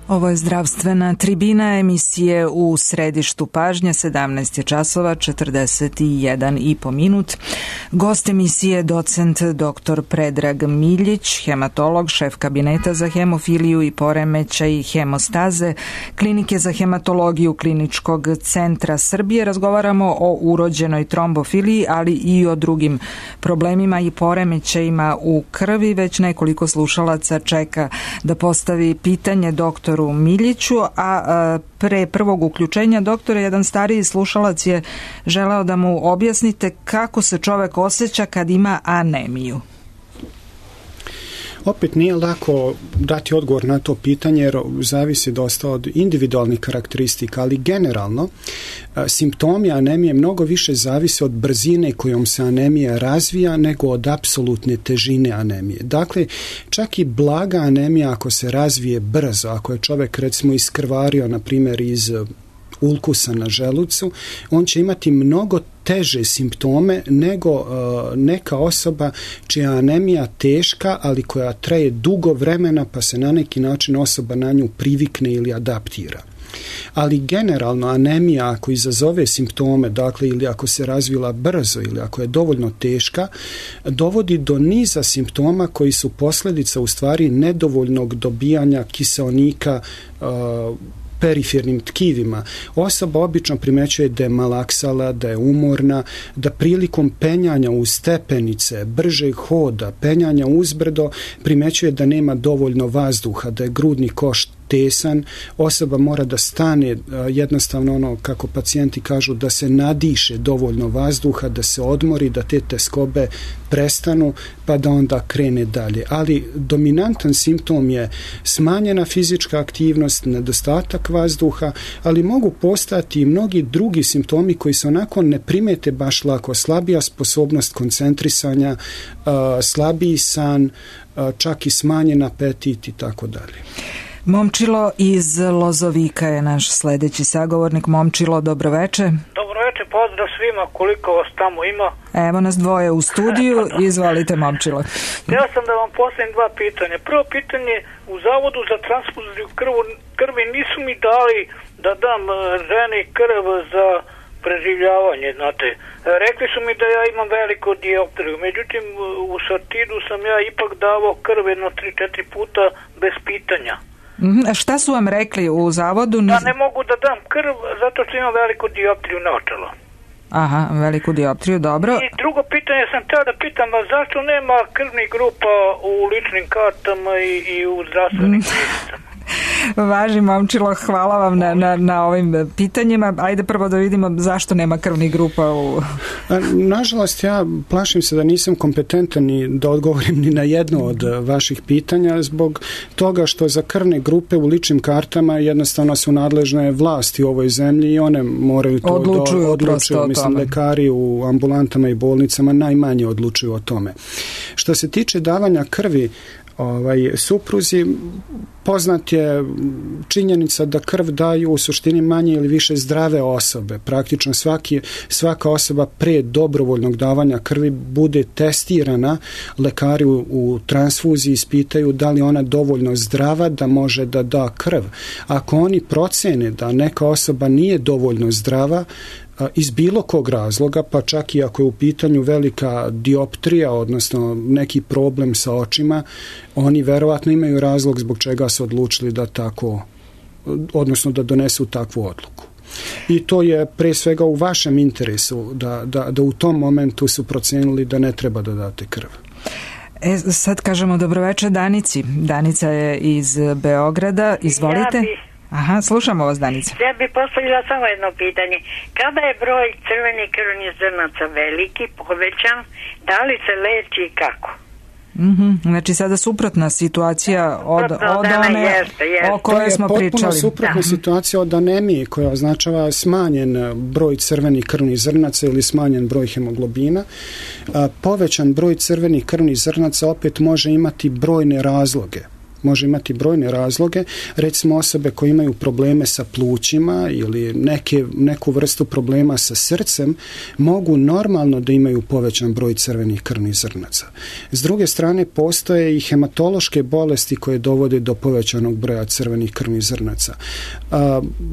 Ovo je zdravstvena tribina emisije U središtu pažnje, 17 je časova, 41 i po minut. Gost emisije docent dr. Predrag Miljić, hematolog, šef kabineta za hemofiliju i poremećaj hemostaze, klinike za hematologiju Kliničkog centra Srbije. Razgovaramo o urođenoj trombofiliji, ali i o drugim problemima i poremećajima u krvi. Već nekoliko slušalaca čeka da postavi pitanje doktoru Miljiću, a pre prvog uključenja doktora jedan stariji slušalac je želeo da mu objasnite kako se čovek osjeća kad ima anemiju. Opet nije lako dati odgovor na to pitanje jer zavisi dosta od individualnih karakteristika, ali generalno simptomi anemije mnogo više zavise od brzine kojom se anemija razvija nego od apsolutne težine anemije. Dakle, čak i blaga anemija ako se razvije brzo, ako je čovek recimo iskrvario na primjer iz ulkusa na želucu, on će imati mnogo teže simptome nego neka osoba čija je anemija teška, ali koja traje dugo vremena pa se na neki način osoba na nju privikne ili adaptira. Ali generalno anemija ako izazove simptome, dakle ili ako se razvila brzo ili ako je dovoljno teška, dovodi do niza simptoma koji su posljedica u stvari nedovoljnog dobijanja kiseonika perifernim tkivima. Osoba obično primećuje da je malaksala, da je umorna, da prilikom penjanja uz stepenice, bržeg hoda, penjanja uzbrdo, primećuje da nema dovoljno vazduha, da je grudni koš tesan, osoba mora da stane, jednostavno ono kako pacijenti kažu, da se nadiše dovoljno vazduha, da se odmori, da te teskobe prestanu pa da onda krene dalje. Ali dominantan simptom je smanjena fizička aktivnost, nedostatak vazduha, ali mogu postati i mnogi drugi simptomi koji se onako ne primete baš lako. Slabija sposobnost koncentrisanja, slabiji san, čak i smanjen apetit i tako dalje. Momčilo iz Lozovika je naš sledeći sagovornik. Momčilo, dobroveče. Dobroveče, pozdrav svima, koliko vas tamo ima. Evo nas dvoje u studiju, izvolite Momčilo. Ja sam da vam postavim dva pitanja. Prvo pitanje, u Zavodu za transfuziju krvi nisu mi dali da dam ženi krv za preživljavanje, znate. Rekli su mi da ja imam veliku dioptriju, međutim u Sartidu sam ja ipak davao krv jedno 3-4 puta bez pitanja. A šta su vam rekli u zavodu? Da ne mogu da dam krv zato što imam veliku dioptriju naočala. Aha, veliku dioptriju, dobro. I drugo pitanje sam teo da pitam, a zašto nema krvnih grupa u ličnim kartama i u zdravstvenim knjižicama? Važi, momčilo, hvala vam na ovim pitanjima. Ajde prvo da vidimo zašto nema krvnih grupa u... Nažalost, ja plašim se da nisam kompetentan ni da odgovorim ni na jedno od vaših pitanja zbog toga što za krvne grupe u ličnim kartama jednostavno su nadležne vlasti u ovoj zemlji i one moraju to odlučuju. Mislim, lekari u ambulantama i bolnicama najmanje odlučuju o tome. Što se tiče davanja krvi supruzi, poznat je činjenica da krv daju u suštini manje ili više zdrave osobe. Praktično svaka osoba pre dobrovoljnog davanja krvi bude testirana, lekari u transfuziji ispitaju da li ona dovoljno zdrava da može da da krv. Ako oni procene da neka osoba nije dovoljno zdrava, iz bilo kog razloga, pa čak i ako je u pitanju velika dioptrija, odnosno neki problem sa očima, oni verovatno imaju razlog zbog čega su odlučili da tako, odnosno da donesu takvu odluku. I to je pre svega u vašem interesu da u tom momentu su procenili da ne treba da date krv. Sad kažemo dobroveče Danici. Danica je iz Beograda. Izvolite. Aha, slušamo vas, Danica. Ja bih postavila samo jedno pitanje. Kada je broj crvenih krvnih zrnaca veliki, povećan, da li se leči i kako? Znači sada suprotna situacija od one o kojoj smo pričali. To je potpuno suprotna situacija od anemije koja označava smanjen broj crvenih krvnih zrnaca ili smanjen broj hemoglobina. Povećan broj crvenih krvnih zrnaca opet može imati brojne razloge. Recimo osobe koje imaju probleme sa plućima ili neku vrstu problema sa srcem mogu normalno da imaju povećan broj crvenih krvnih zrnaca. S druge strane, postoje i hematološke bolesti koje dovode do povećanog broja crvenih krvnih zrnaca.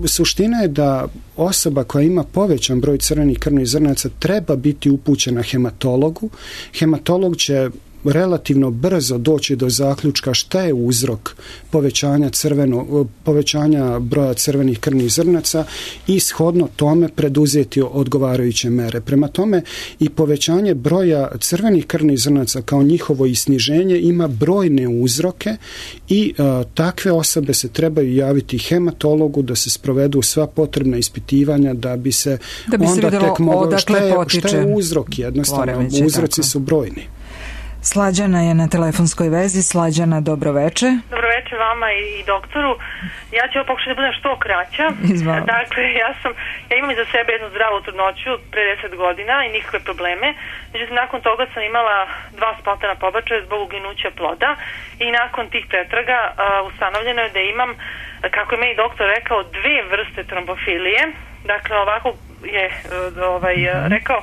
Suština je da osoba koja ima povećan broj crvenih krvnih zrnaca treba biti upućena hematologu. Hematolog će relativno brzo doći do zaključka šta je uzrok povećanja broja crvenih krvnih zrnaca i shodno tome preduzeti odgovarajuće mere. Prema tome i povećanje broja crvenih krvnih zrnaca kao njihovo i sniženje ima brojne uzroke i takve osobe se trebaju javiti hematologu da se sprovedu sva potrebna ispitivanja da bi se onda tek moglo šta je uzrok, jednostavno uzroci su brojni. Slađana je na telefonskoj vezi. Slađana, dobroveče. Dobroveče vama i doktoru. Ja ću pokušati da budem što kraća. Dakle, ja imam iza sebe jednu zdravu trudnoću pre 10 godina i nikakve probleme. Međutim, nakon toga sam imala 2 spontana pobačaja zbog uginuća ploda i nakon tih pretraga ustanovljeno je da imam, kako je meni doktor rekao, 2 vrste trombofilije. Dakle, ovako je rekao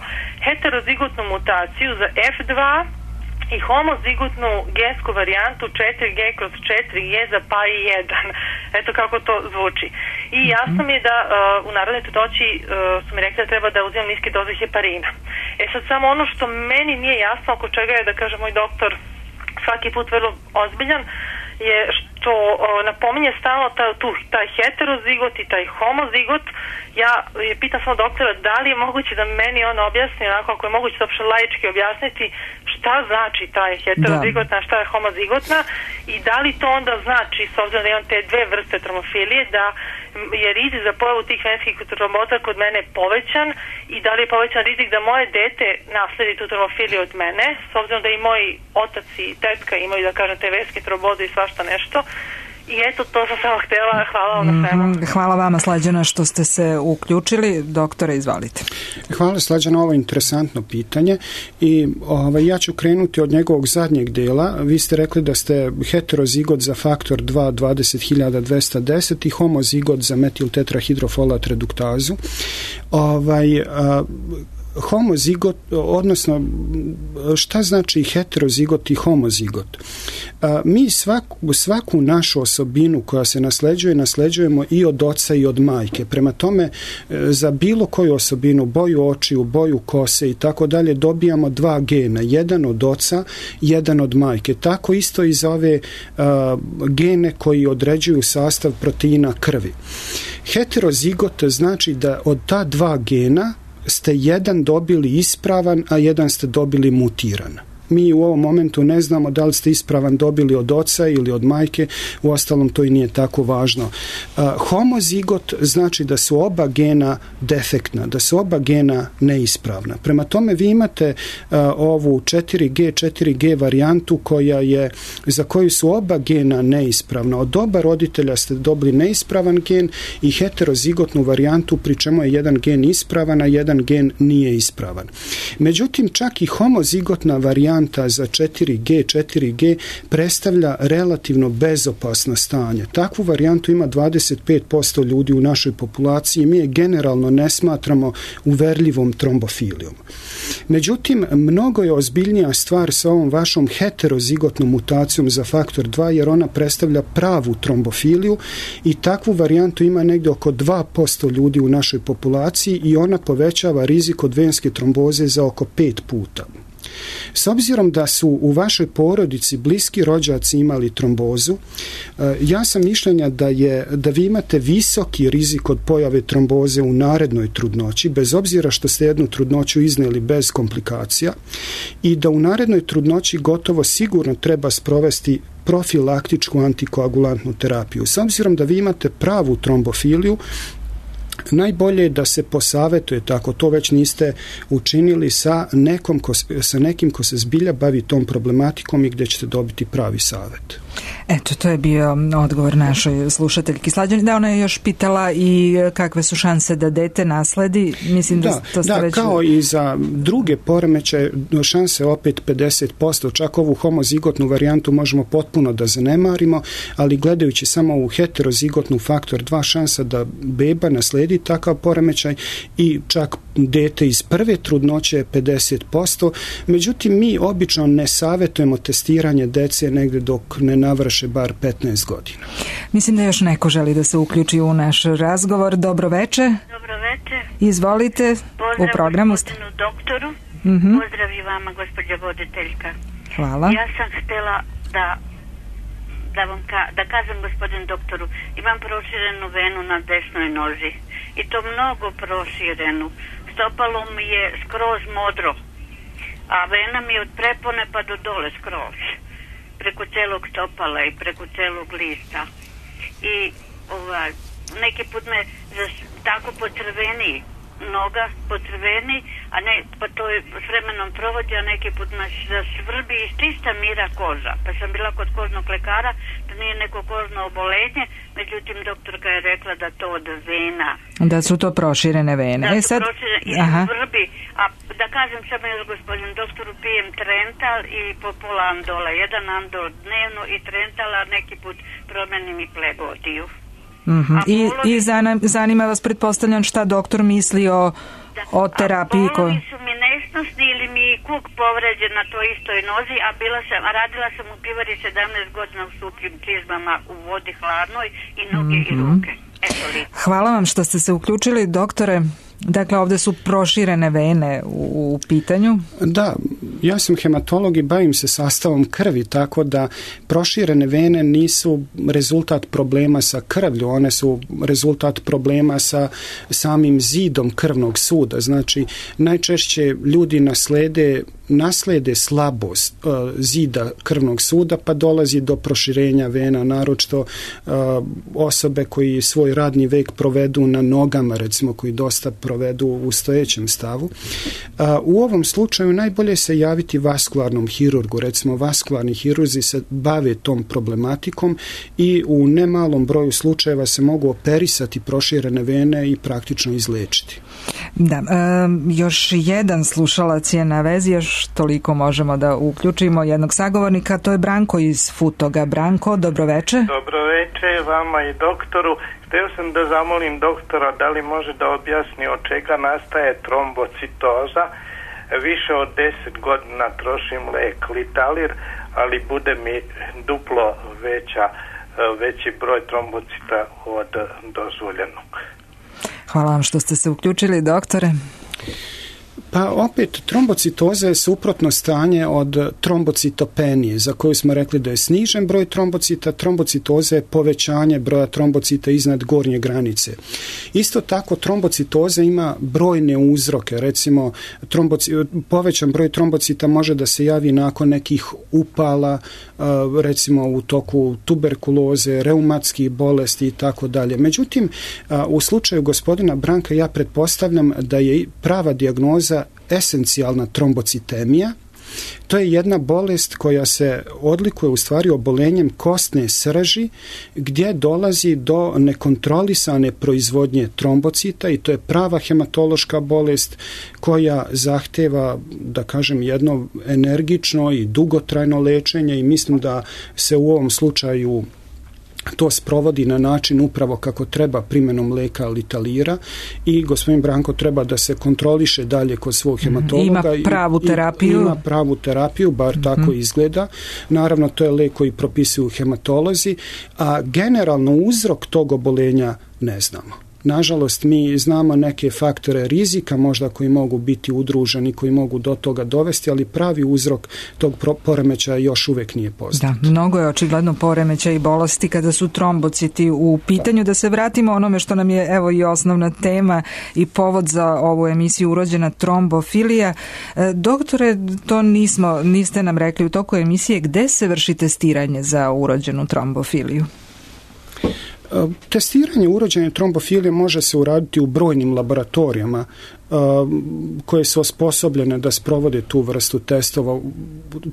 heterozigotnu mutaciju za F2 i homozigotnu gensku varijantu 4G/4G za PAI1. Eto kako to zvuči. I jasno mi je da u narodnoj trudnoći su mi rekli da treba da uzimam niske doze heparina. Sad samo ono što meni nije jasno, oko čega je, da kaže moj doktor, svaki put vrlo ozbiljan, je što napominje stalno taj heterozigot i taj homozigot. Ja pitam samo doktora da li je moguće da meni on objasni, onako ako je moguće da uopšte laički objasniti šta znači taj heterozigotna, šta je homozigotna i da li to onda znači, s obzirom da imam te 2 vrste tromofilije, da je rizik za pojavu tih venskih tromboza kod mene povećan i da li je povećan rizik da moje dete nasledi tu tromofiliju od mene, s obzirom da i moji otac i tetka imaju, da kažem, te venske tromboze i svašta nešto. I eto, to sam samo htjela. Hvala vam na svemu. Hvala vama, Slađana, što ste se uključili. Doktore, izvalite. Hvala, Slađana, ovo je interesantno pitanje i ja ću krenuti od njegovog zadnjeg dela. Vi ste rekli da ste heterozigot za faktor 2 20.210 i homozigot za metiltetrahidrofolat reduktazu. Homozigot, odnosno šta znači heterozigot i homozigot? Mi svaku našu osobinu koja se nasleđujemo i od oca i od majke. Prema tome, za bilo koju osobinu, boju očiju, boju kose i tako dalje, dobijamo 2 gena. Jedan od oca, jedan od majke. Tako isto i za ove gene koji određuju sastav proteina krvi. Heterozigot znači da od ta 2 gena ste jedan dobili ispravan, a jedan ste dobili mutiran. Mi u ovom momentu ne znamo da li ste ispravan dobili od oca ili od majke, uostalom to i nije tako važno. Homozigot znači da su oba gena defektna, da su oba gena neispravna. Prema tome vi imate ovu 4G varijantu za koju su oba gena neispravna. Od oba roditelja ste dobili neispravan gen i heterozigotnu varijantu pri čemu je jedan gen ispravan, a jedan gen nije ispravan. Međutim, čak i homozigotna varijanta za 4G predstavlja relativno bezopasno stanje. Takvu varijantu ima 25% ljudi u našoj populaciji. Mi je generalno ne smatramo uverljivom trombofilijom. Međutim, mnogo je ozbiljnija stvar sa ovom vašom heterozigotnom mutacijom za faktor 2, jer ona predstavlja pravu trombofiliju i takvu varijantu ima negdje oko 2% ljudi u našoj populaciji i ona povećava rizik od venske tromboze za oko 5 puta. S obzirom da su u vašoj porodici bliski rođaci imali trombozu, ja sam mišljenja da vi imate visoki rizik od pojave tromboze u narednoj trudnoći, bez obzira što ste jednu trudnoću iznijeli bez komplikacija, i da u narednoj trudnoći gotovo sigurno treba sprovesti profilaktičku antikoagulantnu terapiju. S obzirom da vi imate pravu trombofiliju, najbolje je da se posavjetujete, ako to već niste učinili, sa nekim ko se zbilja bavi tom problematikom i gdje ćete dobiti pravi savjet. Eto, to je bio odgovor našoj slušateljki Slađani. Da, ona je još pitala i kakve su šanse da dete nasledi. Mislim da to ste već... kao i za druge poremećaje, šanse opet 50%. Čak ovu homozigotnu varijantu možemo potpuno da zanemarimo, ali gledajući samo u heterozigotnu faktor 2, šansa da beba nasledi takav poremećaj i čak dete iz prve trudnoće je 50%. Međutim, mi obično ne savjetujemo testiranje dece negdje dok ne navrše bar 15 godina. Mislim da još neko želi da se uključi u naš razgovor. Dobro veče. Dobro veče. Izvolite. Pozdrav u programu ste. Doktoru. Pozdrav i vama, gospođa voditeljka. Hvala. Ja sam htjela da kažem gospodin doktoru, imam proširenu venu na desnoj nozi i to mnogo proširenu. Stopalo mi je skroz modro, a vena mi je od prepone pa do dole skroz, preko celog stopala i preko celog lista. I neki put me tako pocrveni noga, pocrveni, a ne, pa to je s vremenom provodi, a neki put me zasvrbi i čista mira koža. Pa sam bila kod kožnog lekara, da nije neko kožno obolenje, međutim doktorka je rekla da to od vena. Da su to proširene vene. Da su proširene i svrbi. A da kažem samo još gospodin doktoru, pijem Trental i po pola andola. Jedan andol dnevno i Trental, a neki put promenim i Plegotiju. I zanima vas, pretpostavljam, šta doktor misli o terapiji polovi su mi nesnosni ili mi kuk povređen na toj istoj nozi, a radila sam u pivari 17 godina u supljim čizmama u vodi hladnoj i noge i ruke. Hvala vam što ste se uključili, doktore. Dakle, ovdje su proširene vene u pitanju. Da, ja sam hematolog i bavim se sastavom krvi, tako da proširene vene nisu rezultat problema sa krvlju, one su rezultat problema sa samim zidom krvnog suda. Znači, najčešće ljudi naslede slabost zida krvnog suda, pa dolazi do proširenja vena, naročito osobe koji svoj radni vek provedu na nogama, recimo, koji dosta provedu u stojećem stavu. U ovom slučaju najbolje se javiti vaskularnom hirurgu. Recimo, vaskularni hirurzi se bave tom problematikom i u nemalom broju slučajeva se mogu operisati proširene vene i praktično izlečiti. Da, još jedan slušalac je na vezi, još toliko možemo da uključimo jednog sagovornika, to je Branko iz Futoga. Branko, dobroveče. Dobroveče vama i doktoru. Htio sam da zamolim doktora da li može da objasni od čega nastaje trombocitoza. Više od 10 godina trošim lek Litalir, ali bude mi duplo veći broj trombocita od dozvoljenog. Hvala vam što ste se uključili, doktore. Pa opet, trombocitoza je suprotno stanje od trombocitopenije, za koju smo rekli da je snižen broj trombocita. Trombocitoza je povećanje broja trombocita iznad gornje granice. Isto tako, trombocitoza ima brojne uzroke. Recimo, povećan broj trombocita može da se javi nakon nekih upala, recimo u toku tuberkuloze, reumatskih bolesti i tako dalje. Međutim, u slučaju gospodina Branka ja pretpostavljam da je prava dijagnoza esencijalna trombocitemija. To je jedna bolest koja se odlikuje u stvari obolenjem kostne srži gdje dolazi do nekontrolisane proizvodnje trombocita i to je prava hematološka bolest koja zahteva, da kažem, jedno energično i dugotrajno lečenje i mislim da se u ovom slučaju to sprovodi na način upravo kako treba primjenom leka Litalira i gospodin Branko treba da se kontroliše dalje kod svog hematologa. Ima pravu terapiju. Ima pravu terapiju, bar tako izgleda. Naravno, to je lek koji propisuju hematolozi, a generalno uzrok tog obolenja ne znamo. Nažalost, mi znamo neke faktore rizika možda koji mogu biti udruženi, koji mogu do toga dovesti, ali pravi uzrok tog poremećaja još uvijek nije poznat. Da, mnogo je očigledno poremećaja i bolesti kada su trombociti u pitanju. Da se vratimo onome što nam je evo i osnovna tema i povod za ovu emisiju urođena trombofilija. Doktore, to niste nam rekli u toku emisije, gde se vrši testiranje za urođenu trombofiliju? Testiranje urođene trombofilije može se uraditi u brojnim laboratorijama koje su osposobljene da sprovode tu vrstu testova.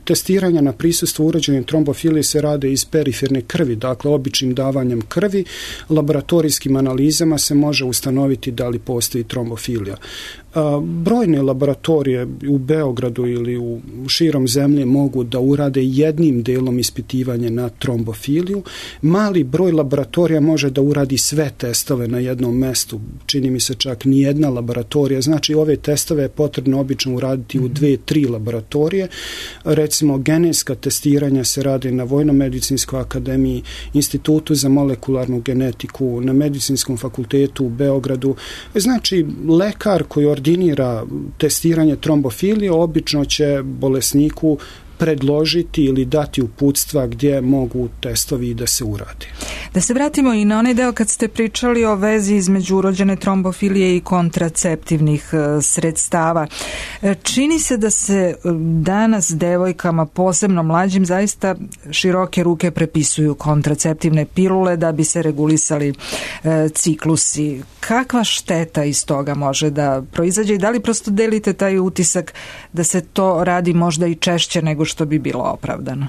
Testiranja na prisustvo urođene trombofilije se rade iz periferne krvi, dakle običnim davanjem krvi. Laboratorijskim analizama se može ustanoviti da li postoji trombofilija. Brojne laboratorije u Beogradu ili u širom zemlje mogu da urade jednim delom ispitivanje na trombofiliju. Mali broj laboratorija može da uradi sve testove na jednom mestu. Čini mi se čak ni jedna laboratorija. Znači, ove testove je potrebno obično uraditi u 2-3 laboratorije. Recimo, genetska testiranja se rade na Vojno-medicinskoj akademiji, Institutu za molekularnu genetiku, na Medicinskom fakultetu u Beogradu. Znači, lekar koji ordinira testiranje trombofilije obično će bolesniku predložiti ili dati uputstva gdje mogu testovi da se urade. Da se vratimo i na onaj deo kad ste pričali o vezi između urođene trombofilije i kontraceptivnih sredstava. Čini se da se danas devojkama, posebno mlađim, zaista široke ruke prepisuju kontraceptivne pilule da bi se regulisali ciklusi. Kakva šteta iz toga može da proizađe i da li prosto delite taj utisak da se to radi možda i češće nego što bi bilo opravdano?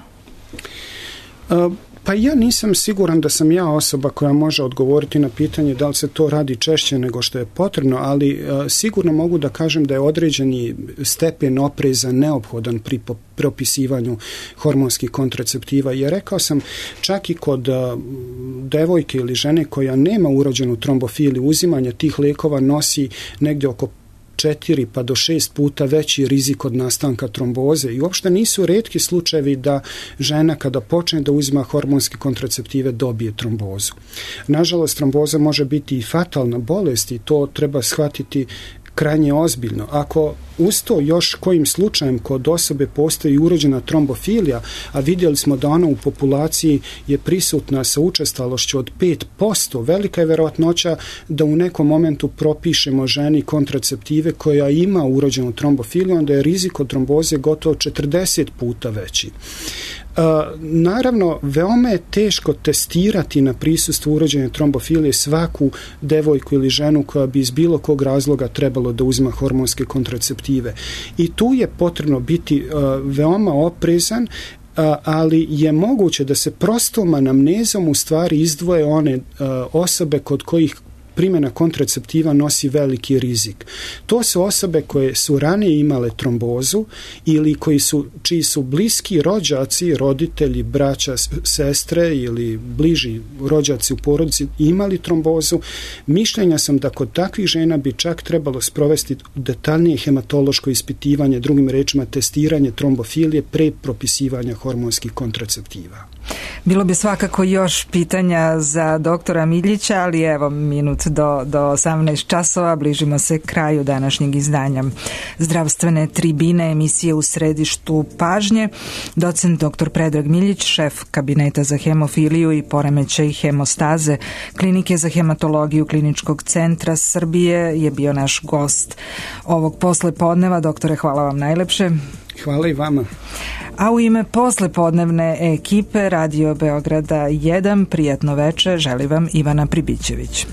Pa ja nisam siguran da sam ja osoba koja može odgovoriti na pitanje da li se to radi češće nego što je potrebno, ali sigurno mogu da kažem da je određeni stepen opreza neophodan pri propisivanju hormonskih kontraceptiva. Jer rekao sam, čak i kod devojke ili žene koja nema urođenu trombofiliju, uzimanje tih lekova nosi negdje oko 4 pa do 6 puta veći rizik od nastanka tromboze i uopšte nisu retki slučajevi da žena kada počne da uzima hormonske kontraceptive dobije trombozu. Nažalost, tromboza može biti i fatalna bolest i to treba shvatiti krajnje ozbiljno. Ako uz to još kojim slučajem kod osobe postoji urođena trombofilija, a vidjeli smo da ona u populaciji je prisutna sa učestalošću od 5%, velika je verovatnoća da u nekom momentu propišemo ženi kontraceptive koja ima urođenu trombofiliju, onda je rizik od tromboze gotovo 40 puta veći. Naravno, veoma je teško testirati na prisustvo urođene trombofilije svaku devojku ili ženu koja bi iz bilo kog razloga trebalo da uzima hormonske kontraceptive. I tu je potrebno biti veoma oprezan, ali je moguće da se prostom anamnezom u stvari izdvoje one osobe kod kojih primjena kontraceptiva nosi veliki rizik. To su osobe koje su ranije imale trombozu ili čiji su bliski rođaci, roditelji, braća, sestre ili bliži rođaci u porodici imali trombozu. Mišljenja sam da kod takvih žena bi čak trebalo sprovesti detaljnije hematološko ispitivanje, drugim rečima testiranje trombofilije pre propisivanja hormonskih kontraceptiva. Bilo bi svakako još pitanja za doktora Miljića, ali evo minut do 18 časova. Bližimo se kraju današnjeg izdanja zdravstvene tribine, emisije U središtu pažnje. Docent dr. Predrag Miljić, šef kabineta za hemofiliju i poremećaj hemostaze Klinike za hematologiju Kliničkog centra Srbije, je bio naš gost ovog poslepodneva. Doktore, hvala vam najlepše. Hvala i vama. A u ime poslepodnevne ekipe Radio Beograda 1, prijatno veče, želi vam Ivana Pribićević.